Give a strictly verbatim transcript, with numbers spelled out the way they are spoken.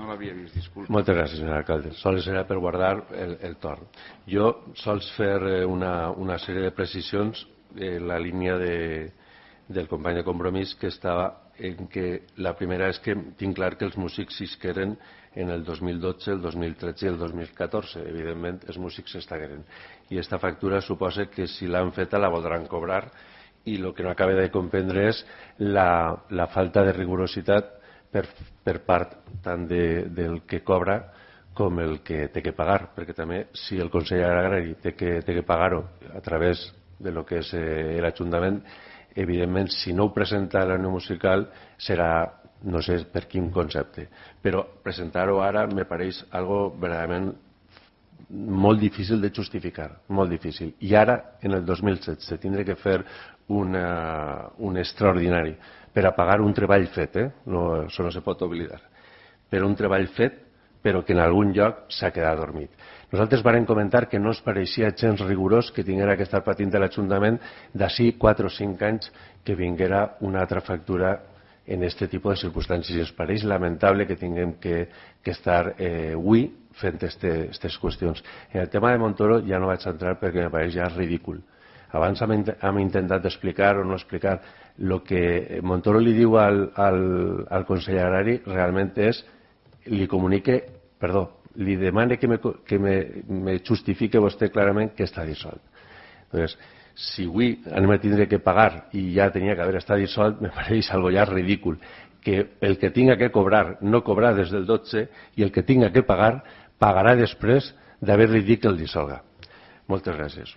no l'havia vist, disculpa. Moltes gràcies, senyor alcalde. Sols era per guardar el, el torn. Jo sols fer una, una sèrie de precisions en la línia de, del company de Compromís, que estava en que la primera és que tinc clar que els músics s'isqueren en el dos mil dotze, el dos mil tretze i el dos mil catorze. Evidentment, els músics s'estagueren. I aquesta factura suposa que si l'han feta la voldran cobrar, i el que no acaba de comprendre és la, la falta de rigorositat per, per part tant de, del que cobra com el que té que pagar, perquè també si el Consell Agrari té que, té que pagar-ho a través de lo que és eh, l'Ajuntament, evidentment si no ho presenta a l'Unió Musical serà no sé per quin concepte, però presentar-ho ara me pareix algo verdaderament molt difícil de justificar, molt difícil. I ara, en el dos mil setze, tindré que fer una, un extraordinari per a pagar un treball fet, eh? No, això no se pot oblidar, però un treball fet però que en algun lloc s'ha quedat dormit. Nosaltres vàrem comentar que no ens pareixia gens rigorós que tinguera que estar patint de l'Ajuntament d'ací quatre o cinc anys que vinguera una altra factura en aquest tipus de circumstàncies. I ens pareix lamentable que tinguem que, que estar eh, avui fent aquestes qüestions. En el tema de Montoro ja no vaig entrar perquè me pareix ja ridícul. Abans hem, hem intentat explicar o no explicar el que Montoro li diu al, al, al Consell Agrari realment és, li comunique, perdó, li demane que me, que me, me justifique vostè clarament que està dissolt. Entonces, si avui anem a tindre que pagar i ja tenia que haver estat dissolt, me pareix algo ja ridícul. Que el que tinga que cobrar no cobrar des del dotze i el que tinga que pagar pagarà després d'haver-li dit que el dissolga. Moltes gràcies.